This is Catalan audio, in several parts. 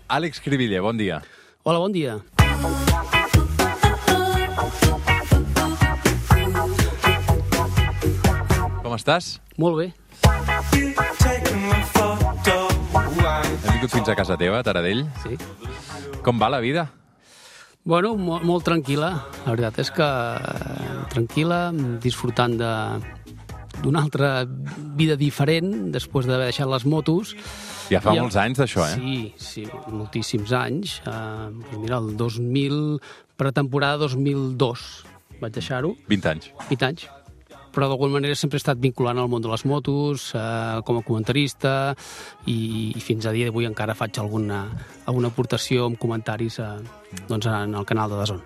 Àlex Cribiller, bon dia. Hola, bon dia. Com estàs? Molt bé. Hem vingut fins a casa teva, a Taradell. Sí. Com va la vida? Bueno, molt tranquil·la. La veritat és que tranquil·la, disfrutant d'una altra vida diferent després d'haver deixat les motos. Ja fa molts anys d'això, eh? Sí, moltíssims anys. Mira, el 2000, pretemporada 2002 vaig deixar-ho. 20 anys. 20 anys. Però d'alguna manera sempre he estat vinculant al món de les motos, com a comentarista, i fins a dia d'avui encara faig alguna aportació amb comentaris en el canal de DAZN.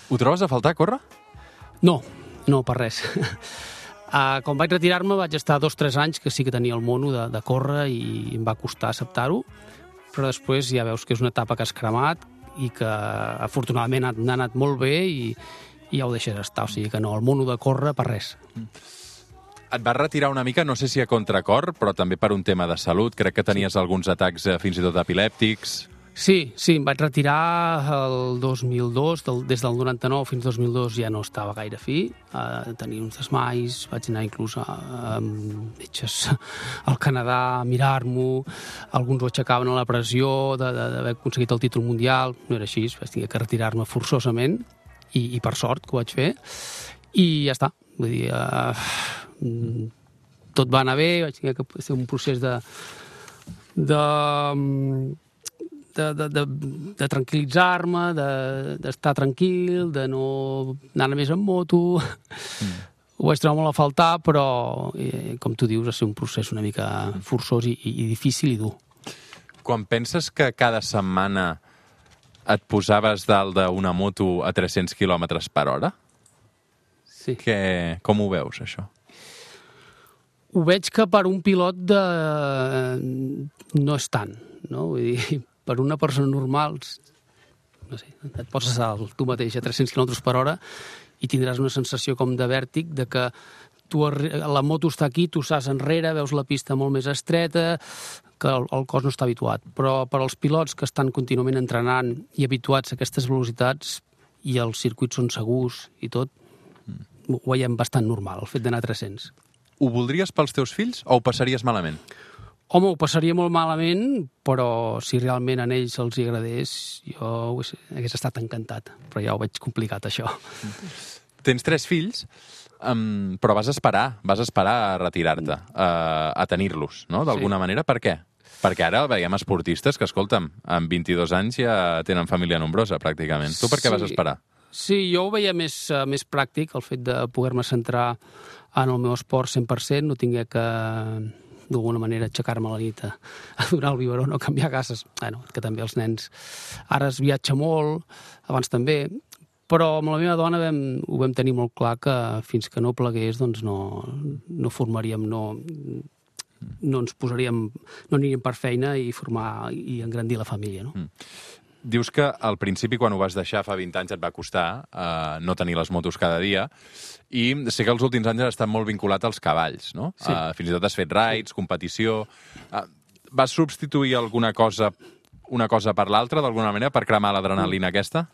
Ho trobes a faltar, córrer? No, per res. Quan vaig retirar-me vaig estar 2 o 3 anys que sí que tenia el mono de córrer i em va costar acceptar-ho, però després ja veus que és una etapa que has cremat i que afortunadament ha anat molt bé i ja ho deixes estar, o sigui que no, el mono de córrer per res. Et vas retirar una mica, no sé si a contracor, però també per un tema de salut. Crec que tenies alguns atacs fins i tot epilèptics. Sí, em vaig retirar el 2002, des del 99 fins al 2002 ja no estava gaire fi, tenia uns desmais, vaig anar inclús a metges al Canadà a mirar-m'ho, alguns ho aixecaven a la pressió d'haver aconseguit el títol mundial, no era així, vaig tenir que retirar-me forçosament, i per sort que ho vaig fer, i ja està. Vull dir, tot va anar bé, vaig tenir que fer un procés de tranquil·litzar-me, d'estar tranquil, de no anar més en moto. Ho vaig trobar molt a faltar, però, com tu dius, va ser un procés una mica forçós i difícil i dur. Quan penses que cada setmana et posaves dalt d'una moto a 300 km per hora? Sí. Com ho veus, això? Ho veig que per un pilot no és tant, no? Vull dir, per una persona normal, no sé, et poses tu mateix a 300 km per hora i tindràs una sensació com de vèrtic, de que la moto està aquí, tu saps enrere, veus la pista molt més estreta, que el cos no està habituat. Però per als pilots que estan contínuament entrenant i habituats a aquestes velocitats i els circuits són segurs i tot, ho veiem bastant normal, el fet d'anar a 300. Ho voldries pels teus fills o ho passaries malament? Home, ho passaria molt malament, però si realment a ells els agradés, jo hagués estat encantat. Però ja ho veig complicat, això. Tens 3 fills, però vas esperar a retirar-te, a tenir-los, no? D'alguna manera. Per què? Perquè ara veiem esportistes que, escolta'm, amb 22 anys ja tenen família nombrosa, pràcticament. Tu per què vas esperar? Sí, jo ho veia més pràctic, el fet de poder-me centrar en el meu esport 100%, no tingué que, d'alguna manera, aixecar-me a la nit a donar el biberó, no canviar gases. Bueno, que també els nens ara es viatja molt, abans també, però amb la meva dona ho vam tenir molt clar que fins que no plegués doncs no formaríem, no ens posaríem, no aniríem per feina i formar i engrandir la família, no? Dius que al principi, quan ho vas deixar fa 20 anys, et va costar no tenir les motos cada dia, i sé que els últims anys has estat molt vinculat als cavalls, no? Sí. Fins i tot has fet raids, competició. Vas substituir una cosa per l'altra, d'alguna manera, per cremar l'adrenalina aquesta?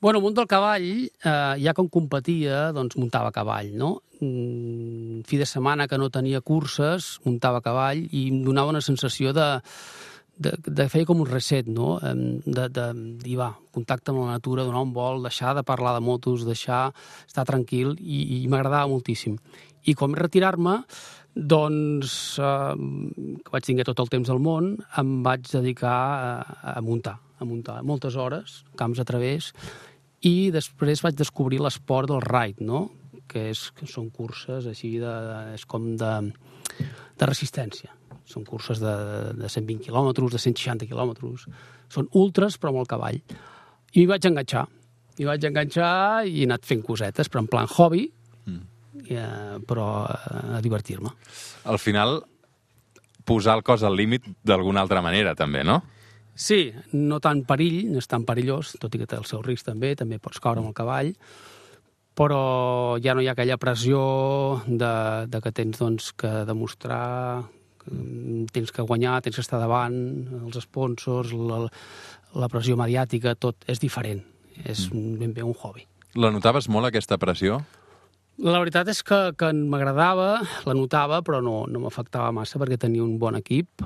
Bueno, el món del cavall, ja quan competia, doncs muntava cavall, no? Fi de setmana que no tenia curses, muntava cavall i em donava una sensació de fer com un reset, no? De dir, contacte amb la natura, donar un vol, deixar de parlar de motos, deixar estar tranquil, i m'agradava moltíssim. I quan vaig retirar-me, doncs, que vaig tenir tot el temps del món, em vaig dedicar a muntar moltes hores, camps a través, i després vaig descobrir l'esport del ride, no? Que són curses així, és com de resistència. Són curses de 120 quilòmetres, de 160 quilòmetres. Són ultres, però amb el cavall. I m'hi vaig enganxar. I he anat fent cosetes, però en plan hobby, però a divertir-me. Al final, posar el cos al límit d'alguna altra manera, també, no? Sí, no tan perill, no és tan perillós, tot i que té el seu risc també pots caure amb el cavall, però ja no hi ha aquella pressió de que tens doncs, que demostrar Tens que guanyar, tens que estar davant, els sponsors, la pressió mediàtica, tot és diferent. És ben bé un hobby. La notaves molt, aquesta pressió? La veritat és que m'agradava, la notava, però no m'afectava massa perquè tenia un bon equip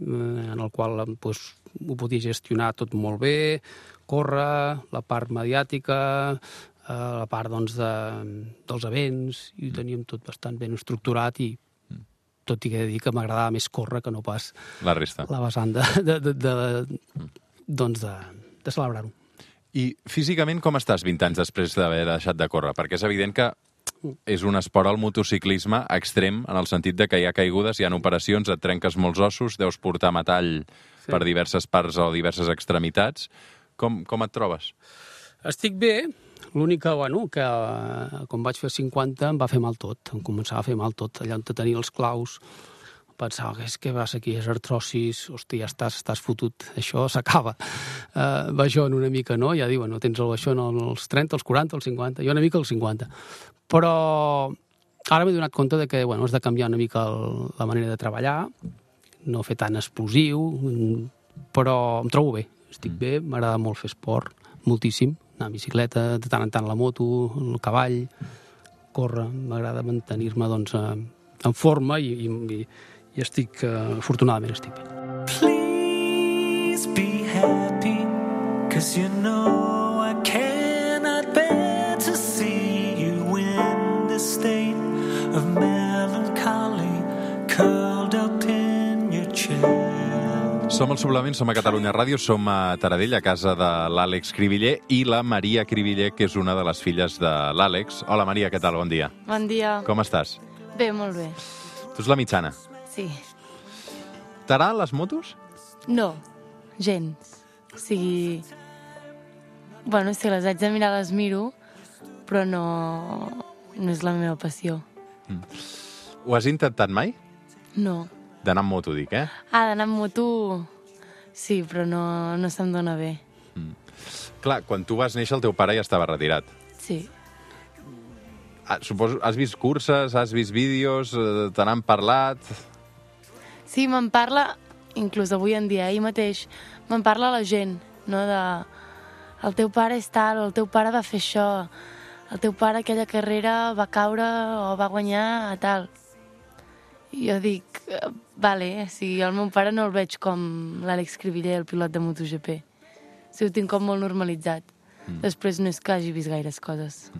en el qual doncs, ho podia gestionar tot molt bé, córrer, la part mediàtica, la part doncs, dels events, i ho teníem tot bastant ben estructurat i tot i que he de dir que m'agradava més córrer que no pas la resta. La vessant de celebrar-ho. I físicament com estàs 20 anys després d'haver deixat de córrer? Perquè és evident que és un esport al motociclisme extrem, en el sentit de que hi ha caigudes, hi ha operacions, et trenques molts ossos, deus portar metall per diverses parts o diverses extremitats. Com et trobes? Estic bé, l'únic que, que quan vaig fer 50 em va fer mal tot, em començava a fer mal tot, allà on tenia els claus, pensava que és que vas aquí, és artrosis, hòstia, ja estàs fotut, això s'acaba. Baixón una mica, no? Ja diuen, no tens el baixón als 30, als 40, als 50, jo una mica als 50. Però ara m'he donat compte de que has de canviar una mica la manera de treballar, no fer tan explosiu, però em trobo bé, estic bé, m'agrada molt fer esport, moltíssim, anar a bicicleta, de tant en tant la moto, el cavall, córrer, m'agrada mantenir-me doncs, en forma i estic, afortunadament estic bé. Please be happy, 'cause you know I cannot bear to see you in this state of melancholy, curled up in your chair. Som al Suplement, som a Catalunya Ràdio, som a Taradell, a casa de l'Àlex Cribiller i la Maria Cribiller, que és una de les filles de l'Àlex. Hola, Maria, què tal? Bon dia. Bon dia. Com estàs? Bé, molt bé. Tu ets la mitjana. Sí. T'agraden les motos? No, gens. O sigui... Bueno, si les haig de mirar, les miro, però no és la meva passió. Ho has intentat mai? No. D'anar amb moto, dic, eh? D'anar amb moto... Sí, però no se'm dona bé. Clar, quan tu vas néixer el teu pare ja estava retirat. Sí. Suposo, has vist curses, has vist vídeos, te n'han parlat... Sí, me'n parla, inclús avui en dia, ahir mateix, me'n parla la gent, no? El teu pare és tal, el teu pare va fer això, el teu pare aquella carrera va caure o va guanyar a tal. I jo dic, vale, si el meu pare no el veig com l'Àlex Cribiller, el pilot de MotoGP. Si ho tinc com molt normalitzat. Després no és que hagi vist gaires coses.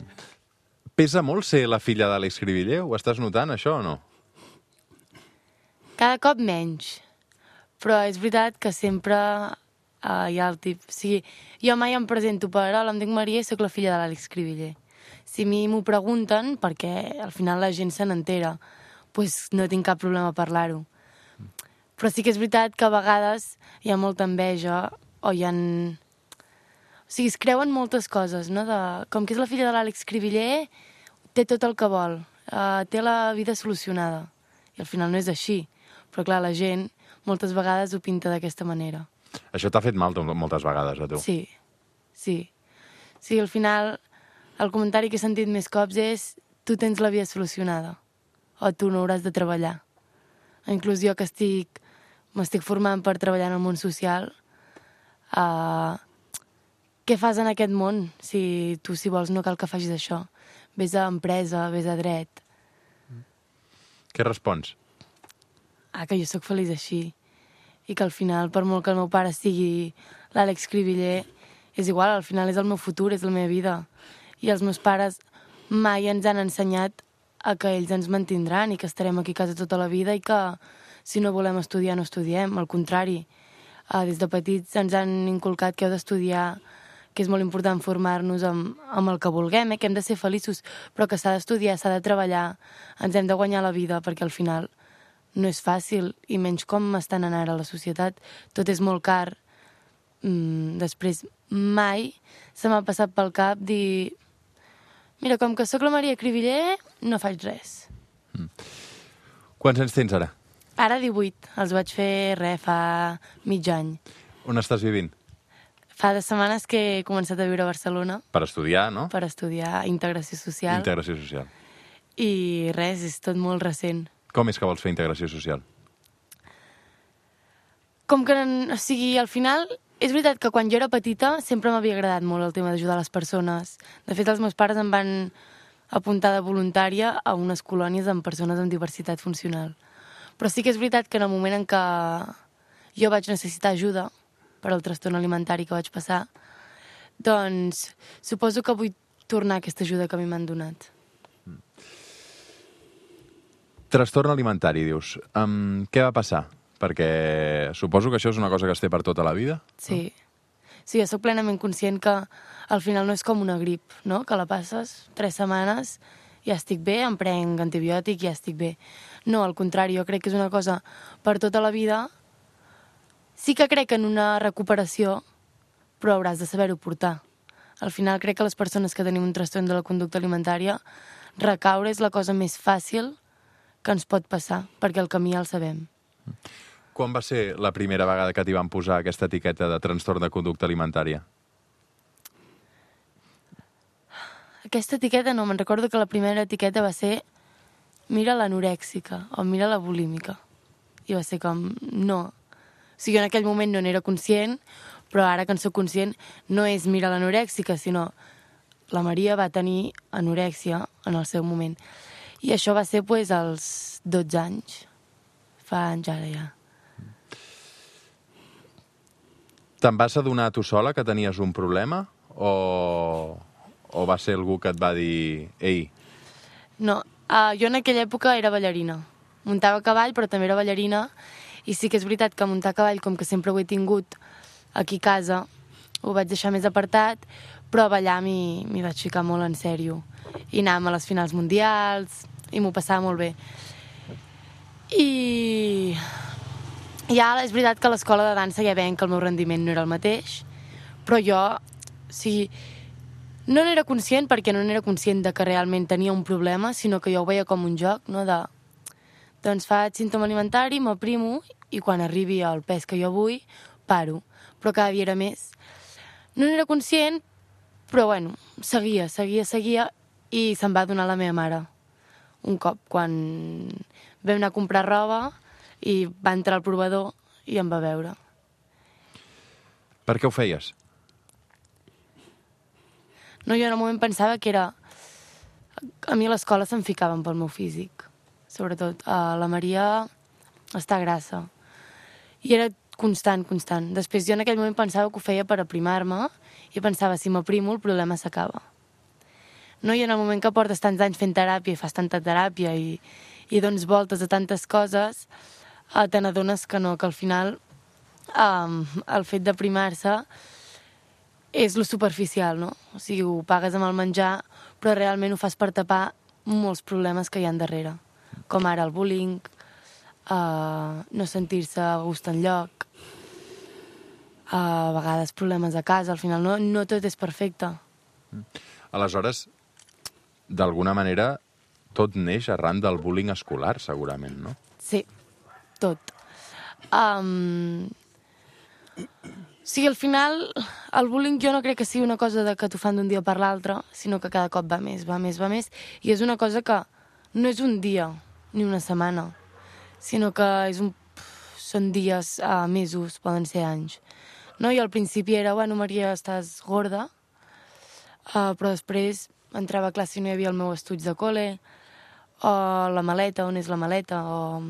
Pesa molt ser la filla d'Àlex Cribiller? Ho estàs notant, això, o no? Cada cop menys. Però és veritat que sempre hi ha el tip... O sigui, jo mai em presento per hola, em dic Maria i soc la filla de l'Àlex Cribiller. Si a mi m'ho pregunten, perquè al final la gent se n'entera, doncs no tinc cap problema a parlar-ho. Però sí que és veritat que a vegades hi ha molta enveja o hi ha... O sigui, es creuen moltes coses, no? Com que és la filla de l'Àlex Cribiller, té tot el que vol, té la vida solucionada. I al final no és així. Però clar, la gent moltes vegades ho pinta d'aquesta manera. Això t'ha fet mal moltes vegades, a tu? Sí, sí. Sí, al final el comentari que he sentit més cops és tu tens la vida solucionada o tu no hauràs de treballar. Inclús jo que m'estic formant per treballar en el món social, què fas en aquest món? Si tu, si vols, no cal que facis això. Ves a empresa, ves a dret. Què respons? Que jo sóc feliç així. I que al final, per molt que el meu pare sigui l'Àlex Cribiller, és igual, al final és el meu futur, és la meva vida. I els meus pares mai ens han ensenyat a que ells ens mantindran i que estarem aquí a casa tota la vida i que si no volem estudiar no estudiem, al contrari. Des de petits ens han inculcat que heu d'estudiar, que és molt important formar-nos amb el que vulguem, que hem de ser feliços, però que s'ha d'estudiar, s'ha de treballar, ens hem de guanyar la vida, perquè al final no és fàcil, i menys com estan anant ara a la societat. Tot és molt car. Després, mai se m'ha passat pel cap dir mira, com que sóc la Maria Cribiller, no faig res. Quants anys tens ara? Ara 18. Els vaig fer fa mig any. On estàs vivint? Fa 2 setmanes que he començat a viure a Barcelona. Per estudiar, no? Per estudiar integració social. Integració social. I res, és tot molt recent. Com és que vols fer integració social? com que, o sigui, al final, és veritat que quan jo era petita sempre m'havia agradat molt el tema d'ajudar les persones. De fet, els meus pares em van apuntar de voluntària a unes colònies amb persones amb diversitat funcional. Però sí que és veritat que en el moment en què jo vaig necessitar ajuda per al trastorn alimentari que vaig passar, doncs suposo que vull tornar aquesta ajuda que a mi m'han donat. Trastorn alimentari, dius. Què va passar? Perquè suposo que això és una cosa que es té per tota la vida. Sí. Sí, jo soc plenament conscient que al final no és com una grip, no? Que la passes 3 setmanes, ja estic bé, em prenc antibiòtic, ja estic bé. No, al contrari, jo crec que és una cosa per tota la vida. Sí que crec en una recuperació, però hauràs de saber-ho portar. Al final crec que les persones que tenim un trastorn de la conducta alimentària, recaure és la cosa més fàcil que ens pot passar, perquè el camí ja el sabem. Quan va ser la primera vegada que t'hi van posar aquesta etiqueta de trastorn de conducta alimentària? Aquesta etiqueta no, me'n recordo que la primera etiqueta va ser mira l'anorèxica o mira la bulímica. I va ser com, no. O sigui, en aquell moment no n'era conscient, però ara que en soc conscient no és mira l'anorèxica, sinó la Maria va tenir anorèxia en el seu moment. I això va ser pues, als 12 anys. Fa anys ara ja. Te'n vas adonar tu sola que tenies un problema o va ser algú que et va dir ei? No, jo en aquella època era ballarina. Muntava a cavall, però també era ballarina. I sí que és veritat que muntar a cavall, com que sempre ho he tingut aquí a casa, ho vaig deixar més apartat, però a ballar m'hi vaig ficar molt en sèrio. I anàvem a les finals mundials, i m'ho passava molt bé. I ja és veritat que a l'escola de dansa ja veiem que el meu rendiment no era el mateix, però jo, o sigui, no n'era conscient perquè no n'era conscient de que realment tenia un problema, sinó que jo ho veia com un joc, no? Doncs faig símptoma alimentari, m'aprimo, i quan arribi al pes que jo vull, paro. Però cada dia era més. No n'era conscient, però bueno, seguia, i se'n va donar la meva mare. Un cop, quan vam anar a comprar roba, i va entrar al provador i em va veure. Per què ho feies? No, jo en el moment pensava que era... A mi a l'escola se'm ficaven pel meu físic. Sobretot la Maria està grassa. I era constant. Després jo en aquell moment pensava que ho feia per aprimar-me i pensava, si m'aprimo el problema s'acaba. No, i en el moment que portes tants anys fent teràpia i fas tanta teràpia i dones voltes a tantes coses, te n'adones que no, que al final el fet d'aprimar-se és lo superficial, no? O sigui, ho pagues amb el menjar, però realment ho fas per tapar molts problemes que hi ha darrere, com ara el bullying, no sentir-se a gust enlloc, a vegades problemes a casa, al final no tot és perfecte. Aleshores, d'alguna manera, tot neix arran del bullying escolar, segurament, no? Sí, tot. O sigui, al final, el bullying jo no crec que sigui una cosa que t'ho fan d'un dia per l'altre, sinó que cada cop va més, i és una cosa que no és un dia ni una setmana, sinó que són dies, mesos, poden ser anys. No? I al principi era, bueno, Maria, estàs gorda, però després entrava a classe i no hi havia el meu estuig de col·le, o la maleta, on és la maleta, o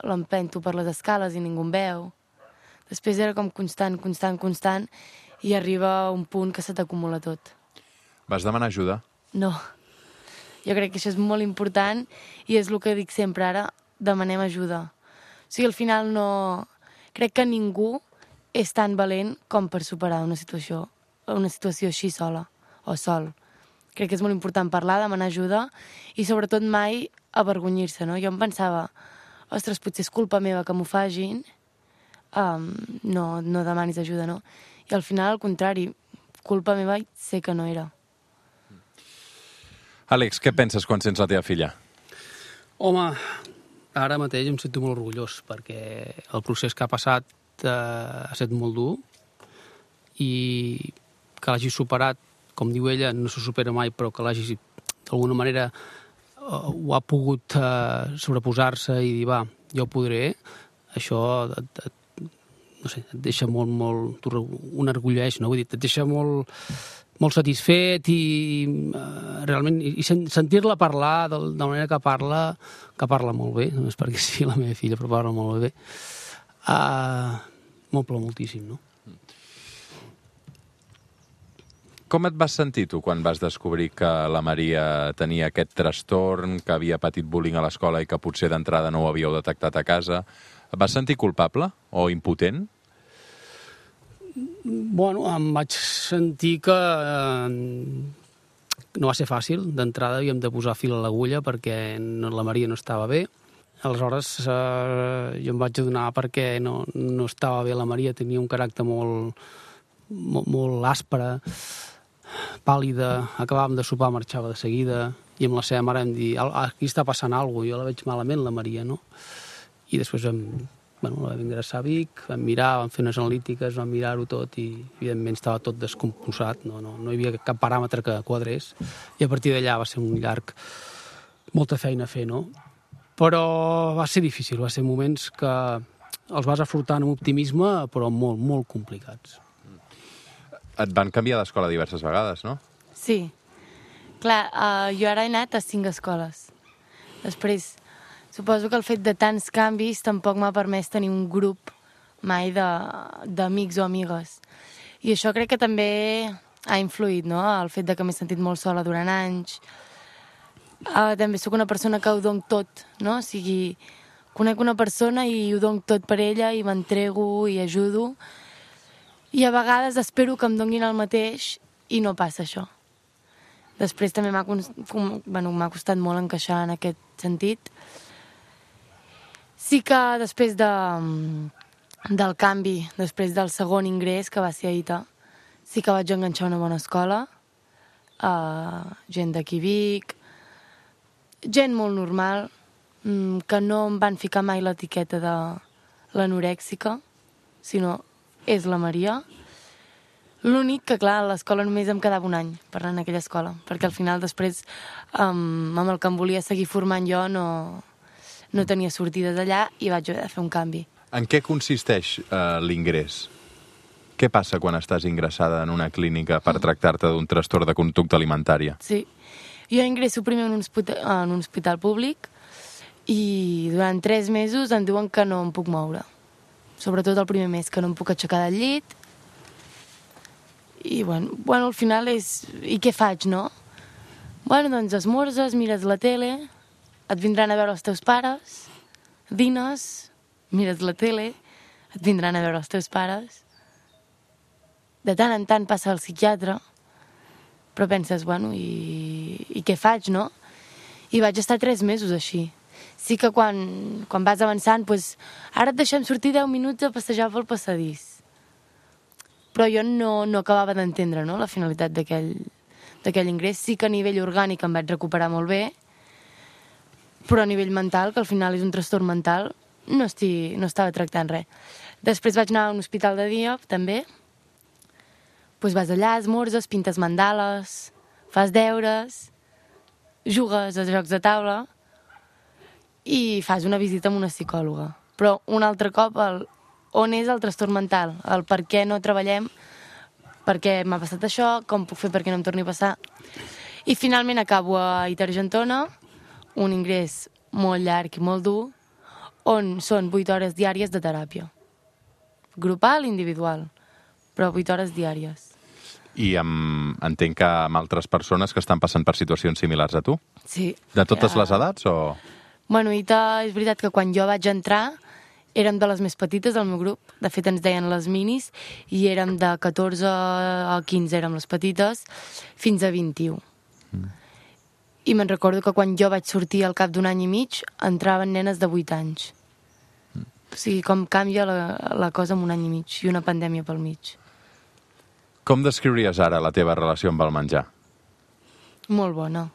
l'empento per les escales i ningú em veu. Després era com constant, i arriba un punt que se t'acumula tot. Vas demanar ajuda? No. Jo crec que això és molt important i és el que dic sempre ara, demanem ajuda. O sigui, al final no... Crec que ningú és tan valent com per superar una situació així sola o sol. Crec que és molt important parlar, demanar ajuda i sobretot mai avergonyir-se, no? Jo em pensava, ostres, potser és culpa meva que m'ho facin, no demanis ajuda, no? I al final, al contrari, culpa meva sé que no era. Àlex, què penses quan sents la teva filla? Home, ara mateix em sento molt orgullós perquè el procés que ha passat ha estat molt dur i que l'hagi superat, com diu ella, no se supera mai, però que l'hagi d'alguna manera ho ha pogut sobreposar-se i dir, va, jo ho podré, això no sé, et deixa molt un orgulleix, no? Vull dir, et deixa molt satisfet i realment i sentir-la parlar de la manera que parla molt bé, només perquè sí, la meva filla, però parla molt bé, m'omple moltíssim, no? Com et vas sentir tu quan vas descobrir que la Maria tenia aquest trastorn, que havia patit bullying a l'escola i que potser d'entrada no ho havíeu detectat a casa? Et vas sentir culpable o impotent? Bueno, em vaig sentir que no va ser fàcil. D'entrada havíem de posar fil a l'agulla perquè la Maria no estava bé. Aleshores jo em vaig adonar perquè no estava bé la Maria, tenia un caràcter molt aspre, pàl·lida, acabàvem de sopar, marxava de seguida, i amb la seva mare vam dir, aquí està passant alguna cosa, jo la veig malament, la Maria, no? I després la vam ingressar a Vic, vam mirar, vam fer unes analítiques, vam mirar-ho tot i, evidentment, estava tot descompensat, no hi havia cap paràmetre que quadrés, i a partir d'allà va ser un llarg, molta feina a fer, no? Però va ser difícil, va ser moments que els vas afrontant amb optimisme, però molt, molt complicats. Et van canviar d'escola diverses vegades, no? Sí. Clar, jo ara he anat a 5 escoles. Després, suposo que el fet de tants canvis tampoc m'ha permès tenir un grup mai d'amics o amigues. I això crec que també ha influït, no?, el fet de que m'he sentit molt sola durant anys. També sóc una persona que ho dono tot, no? O sigui, conec una persona i ho dono tot per ella i m'entrego i ajudo. I a vegades espero que em donin el mateix i no passa això. Després també m'ha costat molt encaixar en aquest sentit. Sí que després del canvi, després del segon ingrés, que va ser a ITA, sí que vaig enganxar una bona escola, gent d'aquí Vic, gent molt normal, que no em van ficar mai l'etiqueta de l'anorèxica, sinó és la Maria. L'únic que, clar, a l'escola només em quedava un any per anar en aquella escola, perquè al final després, amb el que em volia seguir formant jo, no tenia sortides allà i vaig haver de fer un canvi. En què consisteix l'ingrés? Què passa quan estàs ingressada en una clínica per tractar-te d'un trastorn de conducta alimentària? Sí. Jo ingresso primer en un hospital públic i durant 3 mesos em diuen que no em puc moure. Sobretot el primer mes, que no em puc aixecar del llit. I, bueno, al final és... I què faig, no? Bueno, doncs esmorzes, mires la tele, et vindran a veure els teus pares, dines, mires la tele, et vindran a veure els teus pares. De tant en tant passa al psiquiatre, però penses, bueno, i què faig, no? I vaig estar 3 mesos així. Sí que quan vas avançant, doncs, ara et deixem sortir 10 minuts a passejar pel passadís. Però jo no acabava d'entendre, no?, la finalitat d'aquell ingrés. Sí que a nivell orgànic em vaig recuperar molt bé, però a nivell mental, que al final és un trastorn mental, no estava tractant res. Després vaig anar a un hospital de dia, també. Doncs vas allà, esmorzes, pintes mandales, fas deures, jugues a jocs de taula i fas una visita amb una psicòloga. Però un altre cop, on és el trastorn mental? El per què no treballem? Per què m'ha passat això? Com puc fer perquè no em torni a passar? I finalment acabo a ITA Argentona, un ingrés molt llarg i molt dur, on són 8 hores diàries de teràpia. Grupal i individual, però 8 hores diàries. I entenc que amb altres persones que estan passant per situacions similars a tu? Sí. De totes les edats o...? Bueno, ITA, és veritat que quan jo vaig entrar érem de les més petites del meu grup. De fet, ens deien les minis i érem de 14 a 15, érem les petites, fins a 21. I me'n recordo que quan jo vaig sortir al cap d'un any i mig, entraven nenes de 8 anys. O sigui, com canvia la cosa en un any i mig i una pandèmia pel mig. Com descriuries ara la teva relació amb el menjar? Molt bona.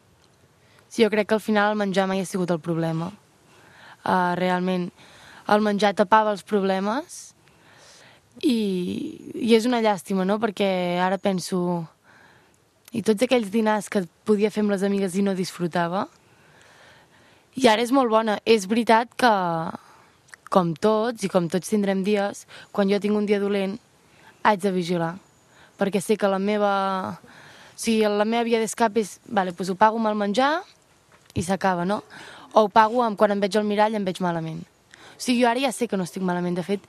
Sí, jo crec que al final el menjar mai ha sigut el problema. Realment, el menjar tapava els problemes i és una llàstima, no?, perquè ara penso... I tots aquells dinars que podia fer amb les amigues i no disfrutava. I ara és molt bona. És veritat que com tots, i com tots tindrem dies, quan jo tinc un dia dolent, haig de vigilar. Perquè sé que la meva via d'escape és, vale, doncs ho pago amb el menjar i s'acaba, no? O ho pago amb quan em veig al mirall i em veig malament. O sigui, jo ara ja sé que no estic malament. De fet,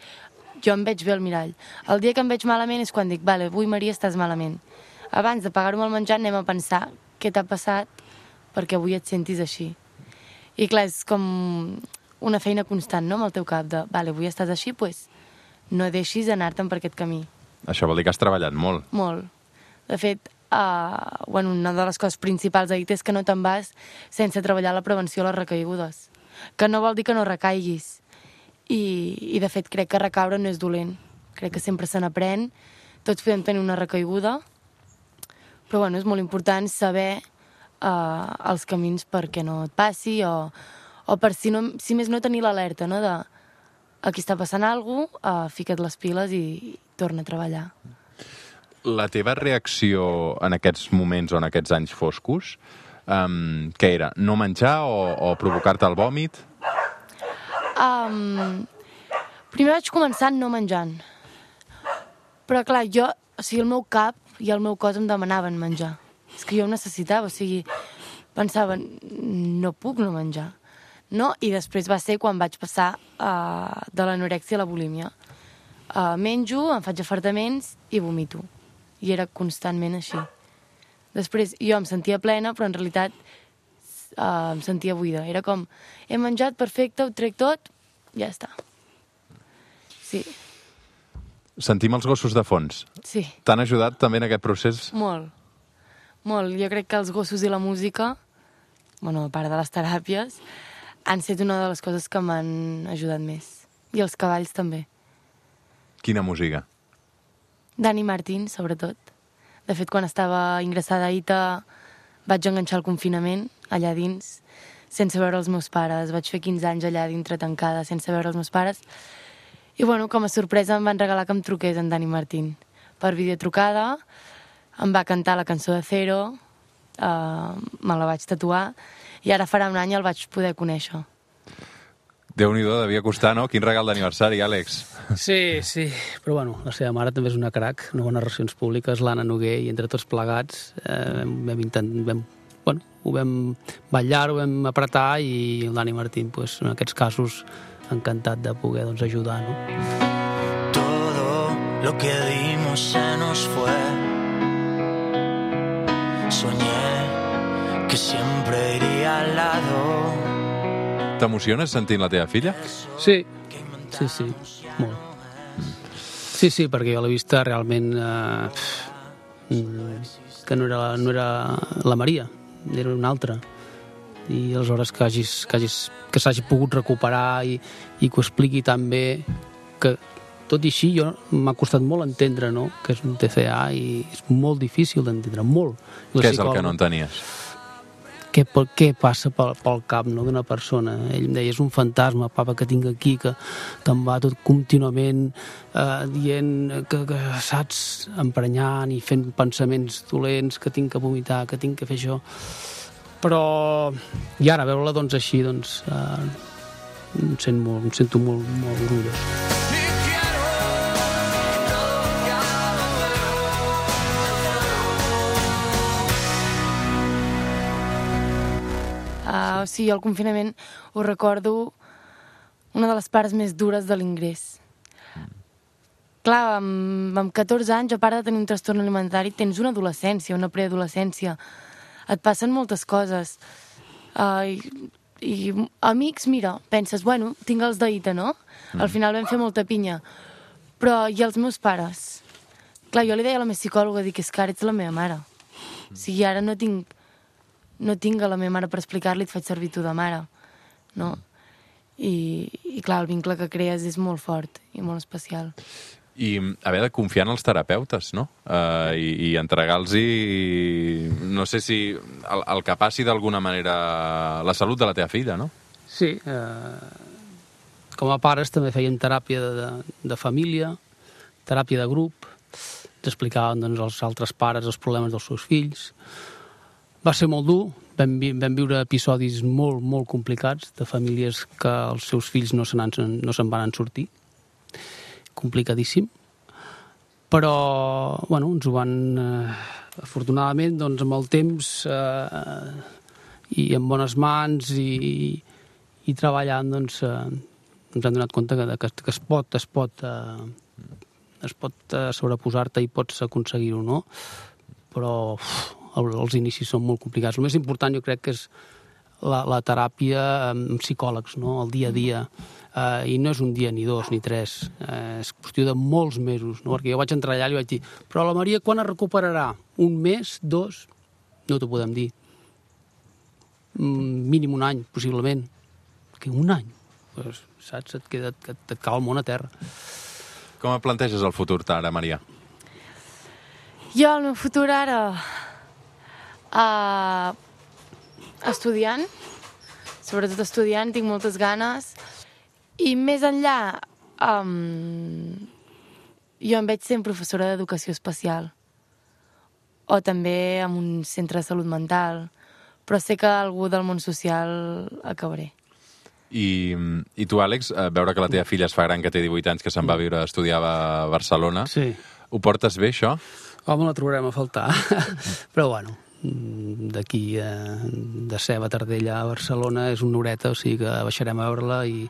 jo em veig bé al mirall. El dia que em veig malament és quan dic, vale, avui, Maria, estàs malament. Abans de pagar-ho amb el menjar anem a pensar què t'ha passat perquè avui et sentis així. I clar, és com una feina constant, no?, amb el teu cap de, vale, avui estàs així, doncs no deixis anar-te'n per aquest camí. Això vol dir que has treballat molt. Molt. De fet, una de les coses principals a dit és que no te'n vas sense treballar la prevenció a les recaigudes. Que no vol dir que no recaiguis. I de fet, crec que recaure no és dolent. Crec que sempre se n'aprèn. Tots podem tenir una recaiguda. Però és molt important saber els camins perquè no et passi o per si més no tenir l'alerta, no?, de aquí està passant alguna cosa, fica't les piles i torna a treballar. La teva reacció en aquests moments o en aquests anys foscos, què era? No menjar o provocar-te el vòmit? Primer vaig començar no menjant. Però clar, el meu cap i el meu cos em demanaven menjar. És que jo ho necessitava, pensava, no puc no menjar. No? I després va ser quan vaig passar de l'anorèxia a la bulímia. Menjo, em faig afartaments i vomito. I era constantment així. Després jo em sentia plena, però en realitat em sentia buida. Era com, he menjat, perfecte, ho trec tot, ja està. Sí. Sentim els gossos de fons. Sí. T'han ajudat també en aquest procés? Molt. Molt. Jo crec que els gossos i la música, a part de les teràpies, han estat una de les coses que m'han ajudat més. I els cavalls també. Quina música? Dani Martín, sobretot. De fet, quan estava ingressada a ITA vaig enganxar el confinament allà dins, sense veure els meus pares. Vaig fer 15 anys allà dintre tancada, sense veure els meus pares. I com a sorpresa em van regalar que em truqués en Dani Martín. Per videotrucada, em va cantar la cançó de Cero, me la vaig tatuar, i ara farà un any el vaig poder conèixer. Déu-n'hi-do, devia costar, no? Quin regal d'aniversari, Àlex. Sí, però la seva mare també és una crac, no bones relacions públiques, l'Anna Noguer, i entre tots plegats ho vam ballar, ho vam apretar, i el Dani Martín, en aquests casos, encantat de poder ajudar, no? Todo lo que dimos se nos fue. Soñé que siempre iría al lado. T'emociones sentint la teva filla? Sí, molt. Sí, perquè jo l'he vista realment que no era la Maria, era una altra. I aleshores que s'hagi pogut recuperar i que ho expliqui tan bé, que tot i així m'ha costat molt entendre, no?, que és un TCA, i és molt difícil d'entendre, molt. Què és el que no entenies? Què passa pel cap, no?, d'una persona. Ell em deia, és un fantasma, papa, que tinc aquí, que em va tot contínuament dient que saps, emprenyant i fent pensaments dolents, que tinc que vomitar, que tinc que fer això. Però, i ara, veure-la així, em sento molt orgullós. El confinament ho recordo una de les parts més dures de l'ingrés. Clar, amb 14 anys, a part de tenir un trastorn alimentari, tens una adolescència, una preadolescència. Et passen moltes coses. I amics, mira, penses, tinc els d'ITA, no? Al final vam fer molta pinya. Però, i els meus pares? Clar, jo li deia a la meva psicòloga, dic, és que ara ets la meva mare. O sigui, ara no tinc a la meva mare per explicar-li, et faig servir tu de mare, no? I clar, el vincle que crees és molt fort i molt especial. I haver de confiar en els terapeutes, no? I entregar-los, no sé si el que passi d'alguna manera la salut de la teva filla, no? Sí, com a pares també fèiem teràpia de família, teràpia de grup, ens explicaven als altres pares els problemes dels seus fills. Va ser molt dur, vam viure episodis molt, molt complicats de famílies que els seus fills no se'n van sortir. Complicadíssim. Però, bueno, ens ho van... afortunadament, doncs, amb el temps i en bones mans i treballant, doncs, ens hem donat compte que es pot sobreposar-te i pots aconseguir-ho, no? Però els inicis són molt complicats. El més important jo crec que és la teràpia amb psicòlegs, no? El dia a dia. I no és un dia, ni dos, ni tres. És qüestió de molts mesos, no? Perquè jo vaig entrar allà i vaig dir, però la Maria quan es recuperarà? Un mes? Dos? No t'ho podem dir. Mínim un any, possiblement. Que un any? Pues, saps? Et cau el món a terra. Com et planteges el futur ara, Maria? Jo, el meu futur ara... estudiant. Sobretot estudiant, tinc moltes ganes. I més enllà, jo em veig sent professora d'educació especial. O també en un centre de salut mental. Però sé que algú del món social acabaré. I tu, Àlex, veure que la teva filla es fa gran, que té 18 anys, que se'n va a viure a estudiar a Barcelona, Sí. ho portes bé, això? Home, la trobarem a faltar. Però, bueno, d'aquí de Ceba a Tardella a Barcelona és una horeta, o sigui que baixarem a veure-la i...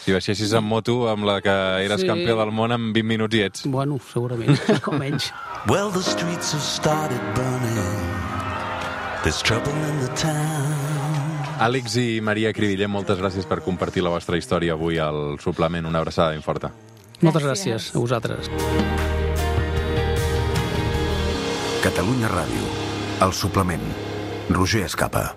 Si baixessis en moto amb la que eres Sí. campió del món en 20 minuts i ets. Bueno, segurament, com menys. Well, the streets have started burning. There's trouble in the town. Àlex i Maria Cribiller, moltes gràcies per compartir la vostra història avui al suplement. Una abraçada ben forta. Moltes gràcies a vosaltres. Catalunya Ràdio. El suplement. Roger Escapa.